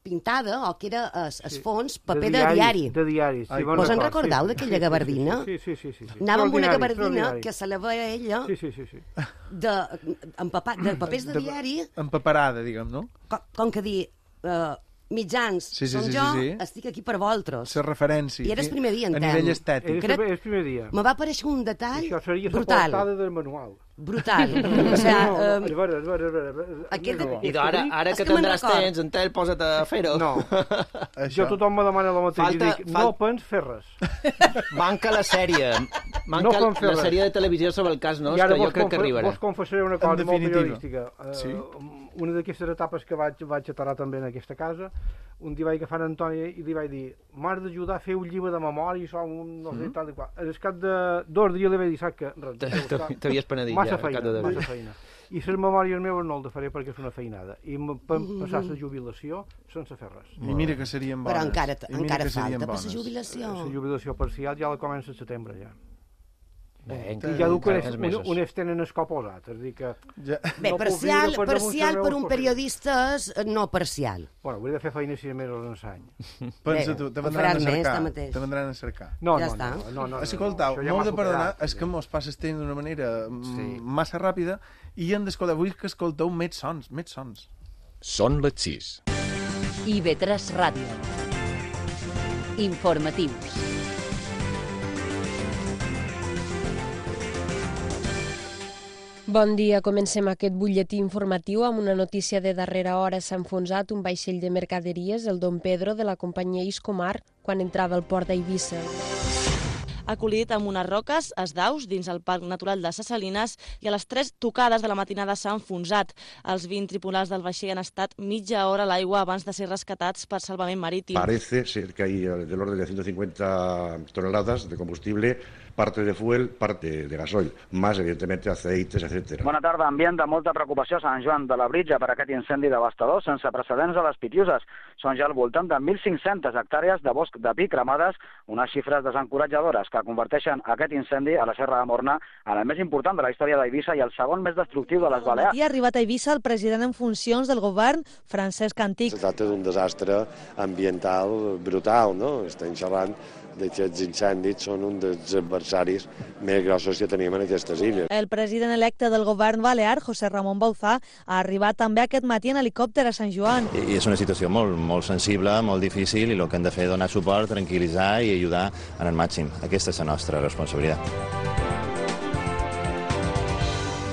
pintada, o que era el fons, paper de diari. De diari, sí. Vos en recordeu d'aquella gabardina? Sí. Anava amb una gabardina que se la veia ella de papers de diari. Empaperada, diguem, no? Com que dir... mitjans, som jo, estic aquí per vosaltres. La referència. I era el primer dia, a nivell estètic. Era el primer dia. Me va aparèixer un detall brutal. Això seria la portada del manual. Brutal. I ara que tindràs temps, en tel, posa't a fer-ho. No. Jo tothom me demana el mateix i dic, no pens fer res. Manca la sèrie. Manca la sèrie de televisió sobre el cas nostre, que jo crec que arribarà. Vos confessaré una cosa molt periodística. Una d'aquestes etapes que vaig aturar també en aquesta casa, un dia vaig agafar Antònia i li vaig dir, m'has d'ajudar a fer un llibre de memòria, no sé, tal i qual. Al cap de 2 dies li vaig dir, saps que... T'havies penedit ja. Massa feina. I les memòries meves no el faré perquè és una feinada. I passar la jubilació sense fer res. I mira que serien bones. Però encara falta per la jubilació. La jubilació parcial ja la comença al setembre, ja. I ja diu que un es tenen el cop posat, és a dir que... Bé, parcial per un periodista és no parcial. Bueno, hauria de fer feina 6 mesos en l'any. Pensa tu, te vendran a cercar. No. Escoltau, m'heu de perdonar, és que mos passa el temps d'una manera massa ràpida i hem d'escoltar, vull que escolteu més sons. Són les 6. IB3 Ràdio. Informatius. Bon dia, comencem aquest butlletí informatiu amb una notícia de darrera hora. S'ha enfonsat un vaixell de mercaderies, el Don Pedro, de la companyia Iscomar, quan entrava al port d'Eivissa. Ha col·lidit amb unes roques, es daus, dins el Parc Natural de Ses Salines, i a les 3 tocades de la matinada s'ha enfonsat. Els 20 tripulants del vaixell han estat mitja hora a l'aigua abans de ser rescatats per salvament marítim. Parece ser que hay del orden de 150 toneladas de combustible, parte de fuel, parte de gasoil, más evidentemente aceites, etc. Bona tarda. Ambient de molta preocupació a Sant Joan de la Britja per aquest incendi devastador sense precedents a les Pitiuses. Són ja al voltant de 1.500 hectàrees de bosc de pi cremades, unes xifres desencoratjadores que converteixen aquest incendi a la Serra de Morna en el més important de la història d'Eivissa i el segon més destructiu de les Balears. I ha arribat a Eivissa el president en funcions del govern, Francesc Antich. Es tracta d'un desastre ambiental brutal, no? Estem xerrant d'aquests incendis, són un dels adversaris més grossos que tenim en aquestes illes. El president electe del govern balear, José Ramón Bauzá, ha arribat també aquest matí en helicòpter a Sant Joan. I és una situació molt sensible, molt difícil, i el que hem de fer és donar suport, tranquil·litzar i ajudar en el màxim. Aquesta és la nostra responsabilitat.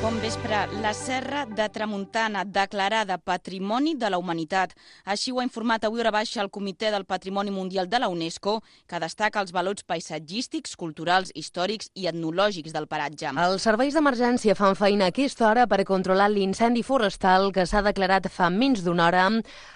Bon vespre. La Serra de Tramuntana, declarada Patrimoni de la Humanitat. Així ho ha informat avui hora baixa el Comitè del Patrimoni Mundial de la UNESCO, que destaca els valors paisatgístics, culturals, històrics i etnològics del paratge. Els serveis d'emergència fan feina a aquesta hora per controlar l'incendi forestal que s'ha declarat fa menys d'una hora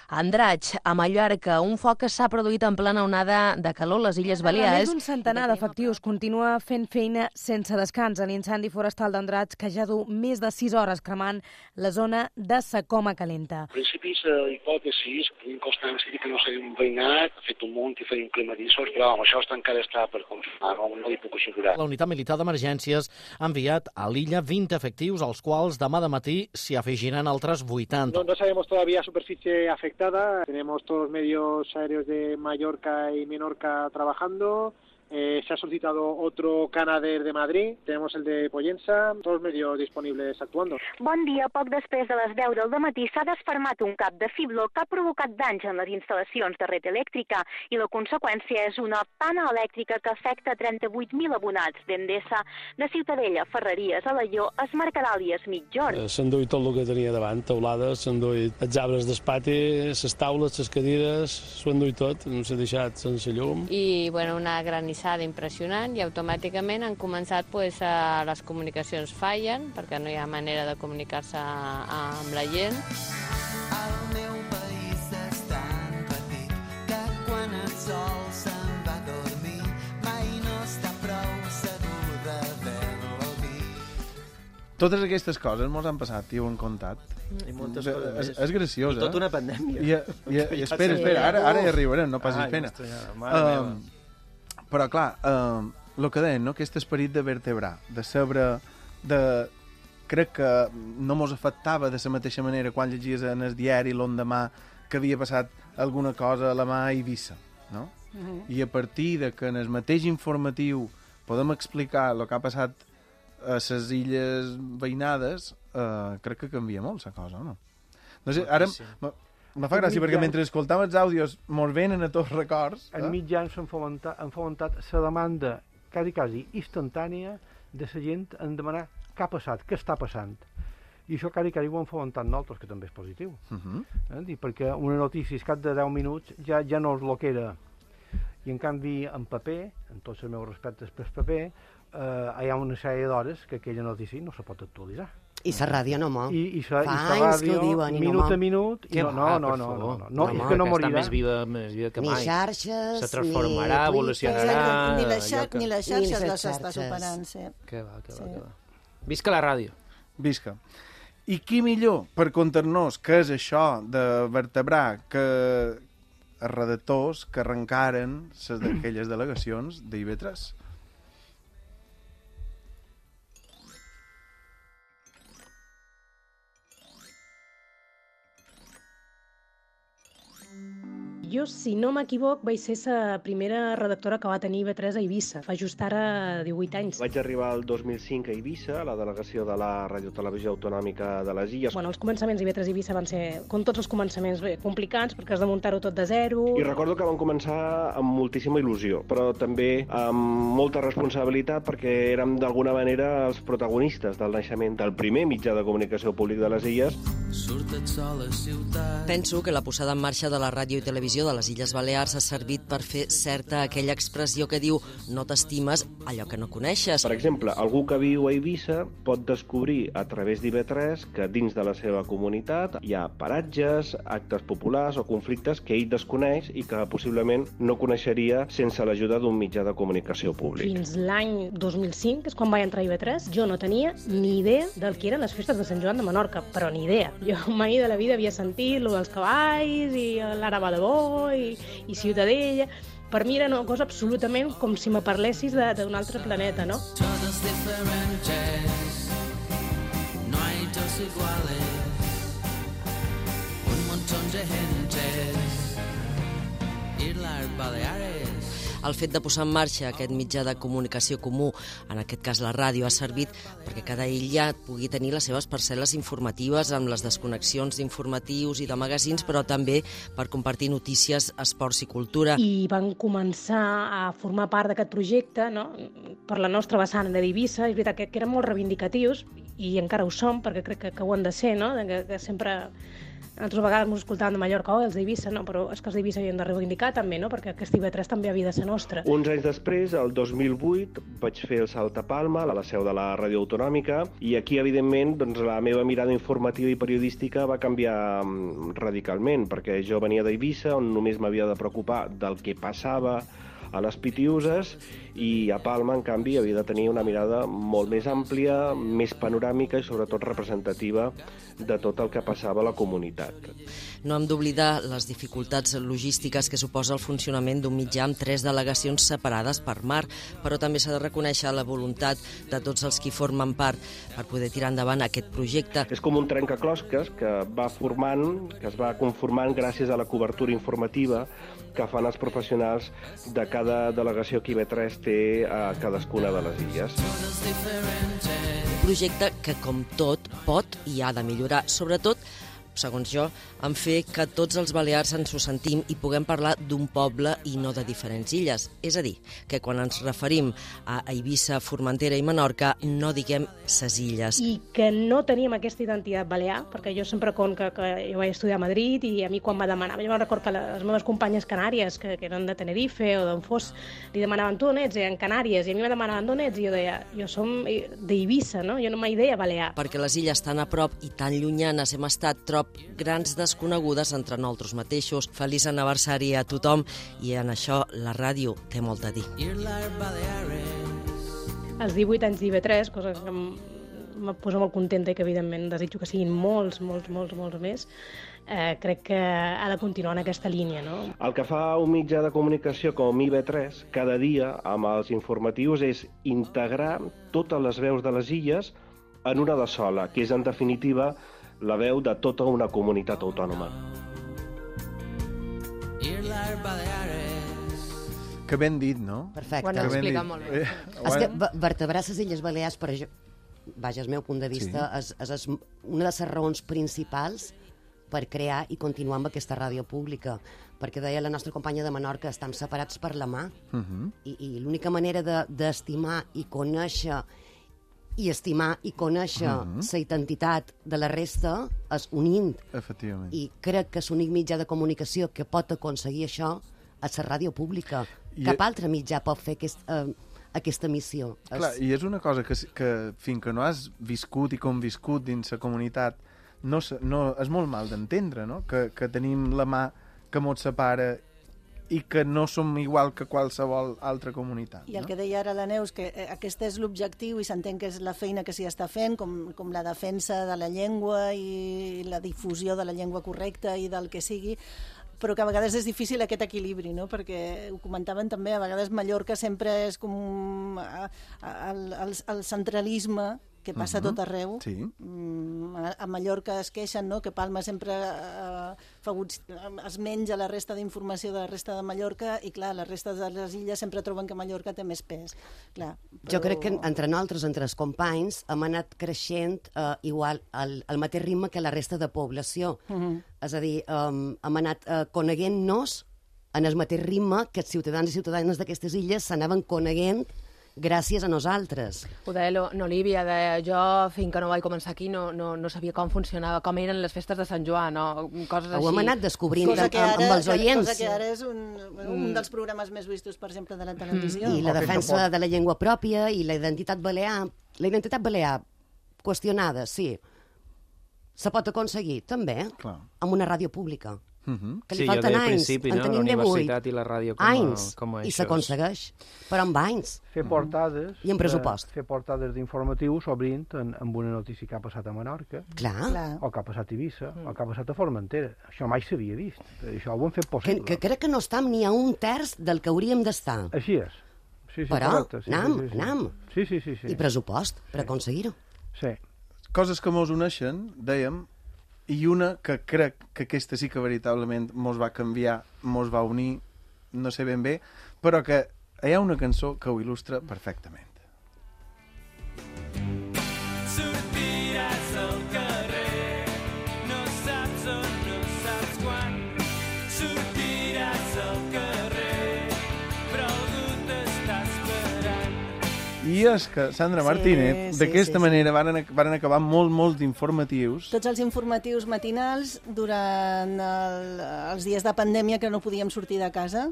Andratx, a Mallorca, un foc que s'ha produït en plena onada de calor a les Illes Balears. Més d'un centenar d'efectius continua fent feina sense descans a l'incendi forestal d'Andratx, que ja du més de 6 hores cremant la zona de sa Coma Calenta. En principi, la hipòtesi, tenim constància que no s'havien veïnat, ha fet un munt i feien climadissos, però això encara està per confirmar, no li puc assegurar. La unitat militar d'emergències ha enviat a l'illa 20 efectius, als quals demà de matí s'hi afegiran altres 80. No sabemos todavía superficie afectada. Tenemos todos los medios aéreos de Mallorca y Menorca trabajando. Se ha solicitado otro Canadair de Madrid, tenemos el de Pollença, todos los medios disponibles actuando. Bon dia. Poc després de les 10 del matí s'ha desfermat un cap de fibló que ha provocat danys en les instal·lacions de red elèctrica i la conseqüència és una pana elèctrica que afecta 38.000 abonats d'Endesa, de Ciutadella, Ferreries, Alaior, Es Mercadal i Es Migjorn. S'han duit tot el que tenia davant, teulades, s'han duit els arbres d'espati, les taules, les cadires, s'ho han duit tot, no s'ha deixat sense llum. I, bueno, una granissada impressionant i automàticament han començat, les comunicacions fallen perquè no hi ha manera de comunicar-se amb la gent. El meu país és tan petit que quan el sol se'n va a dormir mai no està prou segur de veure-lo dir. Totes aquestes coses mos han passat i ho han contat. I moltes coses més. És graciós, I tota una pandèmia. I espera, ara hi arribarem, no passis pena. Però clar, el que deien, no? Aquest esperit de vertebrar, de saber, crec que no mos afectava de la mateixa manera quan llegies en el diari l'endemà que havia passat alguna cosa a la mà a Eivissa, no? I a partir de que en el mateix informatiu podem explicar el que ha passat a les illes veïnades, crec que canvia molt la cosa, no? No sé, ara... Me fa gràcia, perquè mentre escoltàvem els àudios mos venen a tots records. En mitjans han fomentat la demanda quasi instantània de la gent en demanar què ha passat, què està passant. I això quasi ho han fomentat nosaltres, que també és positiu. Perquè una notícia, cap de 10 minuts, ja no és el que era. I en canvi, en paper, en tots els meus respectes per paper, hi ha una sèrie d'hores que aquella notícia no se pot actualitzar. I la ràdio no mor. I la ràdio, minut a minut... No, és que no morirà. Està més viva que mai. Ni xarxes, se transformarà, evolucionarà... Ni les xarxes les està superant, sí. Que va. Visca la ràdio. Visca. I qui millor per contar-nos què és això de vertebrar que els redactors que arrencaren les d'aquelles delegacions d'IV3? Jo, si no m'equivoc, vaig ser la primera redactora que va tenir IB3 a Eivissa, fa just ara 18 anys. Vaig arribar el 2005 a Eivissa, a la delegació de la Radiotelevisió Autonòmica de les Illes. Bueno, els començaments d'IB3 a Eivissa van ser, com tots els començaments, complicats, perquè has de muntar-ho tot de zero. I recordo que vam començar amb moltíssima il·lusió, però també amb molta responsabilitat, perquè érem d'alguna manera els protagonistes del naixement del primer mitjà de comunicació públic de les Illes. Penso que la posada en marxa de la ràdio i televisió de les Illes Balears ha servit per fer certa aquella expressió que diu no t'estimes allò que no coneixes. Per exemple, algú que viu a Eivissa pot descobrir a través d'IV3 que dins de la seva comunitat hi ha paratges, actes populars o conflictes que ell desconeix i que possiblement no coneixeria sense l'ajuda d'un mitjà de comunicació públic. Fins l'any 2005, que és quan vaig entrar a IV3, jo no tenia ni idea del que eren les festes de Sant Joan de Menorca, però ni idea. Jo mai de la vida havia sentit lo dels cavalls i l'Araba de Bo i Ciutadella. Per mi era una cosa absolutament com si me parlessis d'un altre planeta, no? Todos diferentes, no hay dos iguales, un montón de gentes, Islas Baleares. El fet de posar en marxa aquest mitjà de comunicació comú, en aquest cas la ràdio, ha servit perquè cada illa pugui tenir les seves parcel·les informatives amb les desconnexions d'informatius i de magazins, però també per compartir notícies, esports i cultura. I van començar a formar part d'aquest projecte, no? Per la nostra vessant de d'Eivissa. És veritat que eren molt reivindicatius i encara ho som, perquè crec que ho han de ser, no? Que sempre Nosaltres a vegades ens escoltàvem de Mallorca, els d'Eivissa, no, però és que els d'Eivissa havien de reivindicar també, no? Perquè aquest IB3 també havia de ser nostre. Uns anys després, el 2008, vaig fer el salt a Palma, a la seu de la Ràdio Autonòmica, i aquí, evidentment, doncs, la meva mirada informativa i periodística va canviar radicalment, perquè jo venia d'Eivissa, on només m'havia de preocupar del que passava a les Pitiüses, i a Palma, en canvi, havia de tenir una mirada molt més àmplia, més panoràmica i sobretot representativa de tot el que passava a la comunitat. No hem d'oblidar les dificultats logístiques que suposa el funcionament d'un mitjà amb 3 delegacions separades per mar, però també s'ha de reconèixer la voluntat de tots els qui formen part per poder tirar endavant aquest projecte. És com un trencaclosques que es va conformant gràcies a la cobertura informativa que fan els professionals de cada delegació que IB3 té a cadascuna de les illes. Un projecte que, com tot, pot i ha de millorar, sobretot, segons jo, en fer que tots els balears ens ho sentim i puguem parlar d'un poble i no de diferents illes. És a dir, que quan ens referim a Eivissa, Formentera i Menorca, no diguem ses illes. I que no teníem aquesta identitat balear, perquè jo sempre conto que jo vaig estudiar a Madrid i a mi quan me demanava, jo me'n recordo que les meves companyes canàries, que eren de Tenerife o d'on fos, li demanaven, tu on ets? I en Canàries, i a mi me demanaven d'on ets? I jo deia, jo som d'Eivissa, no? Jo no mai deia balear. Perquè les illes tan a prop i tan llunyanes hem estat grans desconegudes entre nosaltres mateixos. Feliç aniversari a tothom i en això la ràdio té molt a dir. Els 18 anys d'IB3, cosa que em posa molt contenta i que evidentment desitjo que siguin molts més, crec que ha de continuar en aquesta línia, no? El que fa un mitjà de comunicació com IB3 cada dia amb els informatius és integrar totes les veus de les illes en una de sola, que és en definitiva la veu de tota una comunitat autònoma. Que ben dit, no? Perfecte. Ho han explicat molt bé. És que vertebrar les Illes Balears, per això, vaja, el meu punt de vista, és una de les raons principals per crear i continuar amb aquesta ràdio pública. Perquè deia la nostra companya de Menorca, estem separats per la mà. I l'única manera d'estimar i conèixer i estimar i conèixer la identitat de la resta és unint. Efectivament. I crec que l'únic mitjà de comunicació que pot aconseguir això és la ràdio pública. Cap altre mitjà pot fer aquesta missió. Clar, i és una cosa que fins que no has viscut i conviscut dins la comunitat és molt mal d'entendre, no? Que tenim la mà que mos separa i que no som igual que qualsevol altra comunitat. I el que deia ara la Neus, que aquest és l'objectiu i s'entén que és la feina que s'hi està fent, com la defensa de la llengua i la difusió de la llengua correcta i del que sigui, però que a vegades és difícil aquest equilibri, no? Perquè ho comentaven també, a vegades Mallorca sempre és com el centralisme que passa tot arreu. Sí. A Mallorca es queixen, no?, que Palma sempre es menja la resta d'informació de la resta de Mallorca i, clar, la resta de les illes sempre troben que Mallorca té més pes. Clar, però... Jo crec que entre nosaltres, entre els companys, hem anat creixent igual al mateix ritme que la resta de població. És a dir, hem anat coneguent-nos en el mateix ritme que els ciutadans i ciutadanes d'aquestes illes s'anaven coneguent gràcies a nosaltres. Ho deia l'Olívia, jo fins que no vaig començar aquí no sabia com funcionava, com eren les festes de Sant Joan, no? Coses així. Ho hem anat descobrint amb els oients. Cosa que ara és un dels programes més vistos, per exemple, de la televisió. I la defensa de la llengua pròpia i la identitat balear. La identitat balear qüestionada, sí. Se pot aconseguir, també, amb una ràdio pública. Que li falten anys, en tenim 18 i la ràdio com a i s'aconsegueix, però amb anys fer portades i amb pressupost, fer portades d'informatius obrint amb una notícia que ha passat a Menorca o que ha passat a Eivissa o que ha passat a Formentera. Això mai s'havia vist, això ho hem fet possible, que crec que no estem ni a un terç del que hauríem d'estar. Així és, però anem i pressupost per aconseguir-ho. Coses que mos uneixen, dèiem, i una que crec que aquesta sí que veritablement mos va canviar, mos va unir, no sé ben bé, però que hi ha una cançó que ho il·lustra perfectament. Sortiràs al carrer, no saps on, no saps quan. Sortiràs al carrer, però algú t'està esperant. I I és que Sandra Martínez, d'aquesta manera, van acabar molts informatius. Tots els informatius matinals durant els dies de pandèmia que no podíem sortir de casa,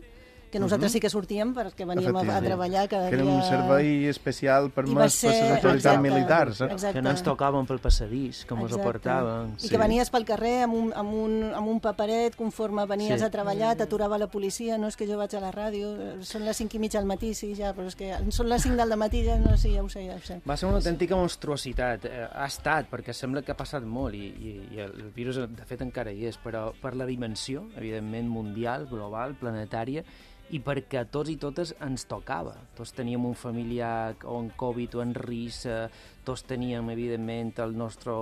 que nosaltres sí que sortíem perquè veníem a treballar cada dia. Que era un servei especial per les autoritats militars. Que no ens tocaven pel passadís, com ens ho portaven. I que venies pel carrer amb un paperet, conforme venies a treballar, t'aturava la policia, no és que jo vaig a la ràdio, són les 5:30 al matí, sí, ja, però és que són les 5 del matí, ja no sé, ja ho sé. Va ser una autèntica monstruositat. Ha estat, perquè sembla que ha passat molt, i el virus de fet encara hi és, però per la dimensió, evidentment, mundial, global, planetària, i perquè a tots i totes ens tocava. Tots teníem un familiar o en Covid o en risc, tots teníem, evidentment, el nostre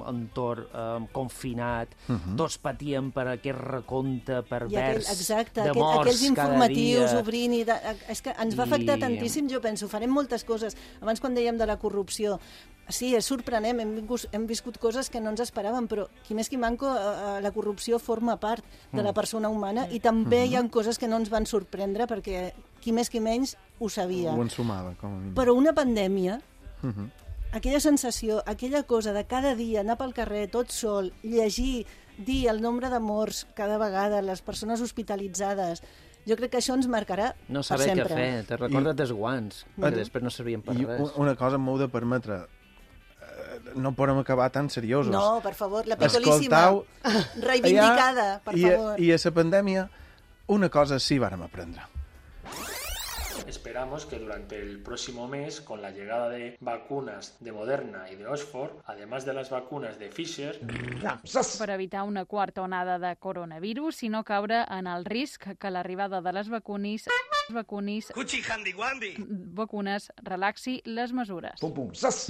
entorn confinat, tots patíem per aquest recompte pervers de morts aquells informatius obrint. És que ens va afectar tantíssim, jo penso, farem moltes coses. Abans, quan dèiem de la corrupció, sí, és sorprenent, hem viscut coses que no ens esperàvem, però qui més qui manco, la corrupció forma part de la persona humana i també hi ha coses que no ens van sorprendre perquè qui més qui menys ho sabia. Ho ensumava, com a mínim. Però una pandèmia, aquella sensació, aquella cosa de cada dia anar pel carrer tot sol, llegir, dir el nombre de morts cada vegada, les persones hospitalitzades, jo crec que això ens marcarà per sempre. No saber què fer, te recordes dels guants, que després no servien per res. Una cosa m'heu de permetre, no podem acabar tan seriosos. No, per favor, la picolíssima, reivindicada, per favor. I a la pandèmia, una cosa sí vàrem aprendre. Esperamos que durante el próximo mes, con la llegada de vacunas de Moderna y de Oxford, además de las vacunas de Pfizer... Per evitar una quarta onada de coronavirus i no caure en el risc que l'arribada de les vacunes relaxi les mesures.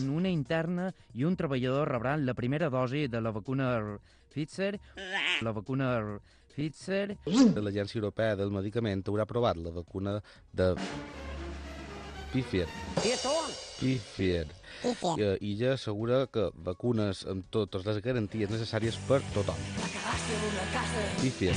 Una interna i un treballador rebran la primera dosi de la vacuna Pfizer. L'Agència Europea del Medicament haurà aprovat la vacuna de Pfizer. I ja assegura que vacunes amb totes les garanties necessàries per tothom. Pfizer.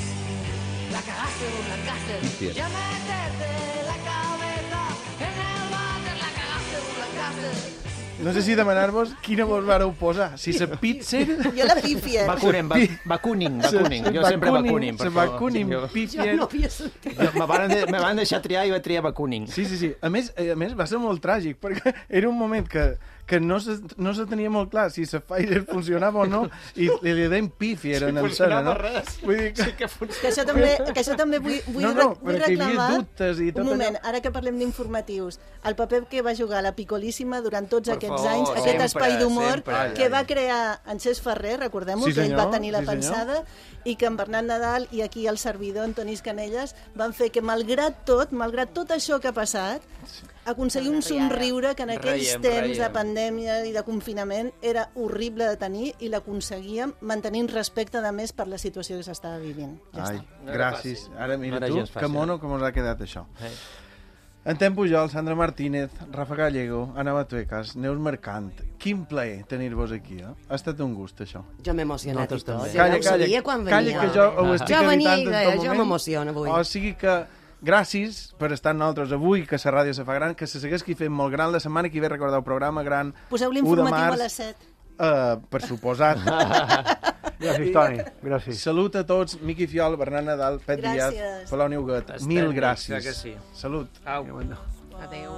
No sé si demanar-vos quina vos vareu posar. Si la Pfizer... Jo la Pfizer. Vacuning. Jo sempre vacuning, per favor. Vacuning, Pfizer... Jo no havia sentit. Me van deixar triar i vaig triar vacuning. Sí. A més, va ser molt tràgic, perquè era un moment que no se tenia molt clar si la Pfizer funcionava o no, i li deim Pfizer en escena, no? Vull dir que això també vull reclamar... Un moment, ara que parlem d'informatius, el paper que va jugar la Picolíssima durant tots aquests anys, aquest espai d'humor que va crear en Cesc Ferrer, recordem-ho, que ell va tenir la pensada, i que en Bernat Nadal i aquí el servidor, Antonís Canelles, van fer que, malgrat tot això que ha passat, aconseguir un somriure que en aquells temps de pandèmia i de confinament era horrible de tenir i l'aconseguíem mantenint respecte, a més, per la situació que s'estava vivint. Gràcies. Ara mira tu, que mono com us ha quedat això. En Tem Pujol, Sandra Martínez, Rafa Gallego, Anna Matuecas, Neus Mercant. Quin plaer tenir-vos aquí, eh? Ha estat un gust, això. Jo m'he emocionat i tot. Calla, que jo ho estic venia evitant en tot moment. Jo m'emociono avui. O sigui que gràcies per estar amb nosaltres avui, que la ràdio se fa gran, que se segueix fent molt gran. La setmana que ve recordeu programa gran. Poseu l'informatiu a les 7. Per suposat. Gràcies, Toni. Gràcies. Salut a tots. Miqui Fiol, Bernat Nadal, Pet Díaz, Palau Neuguet. Mil gràcies. Sí. Salut. Au. Adéu.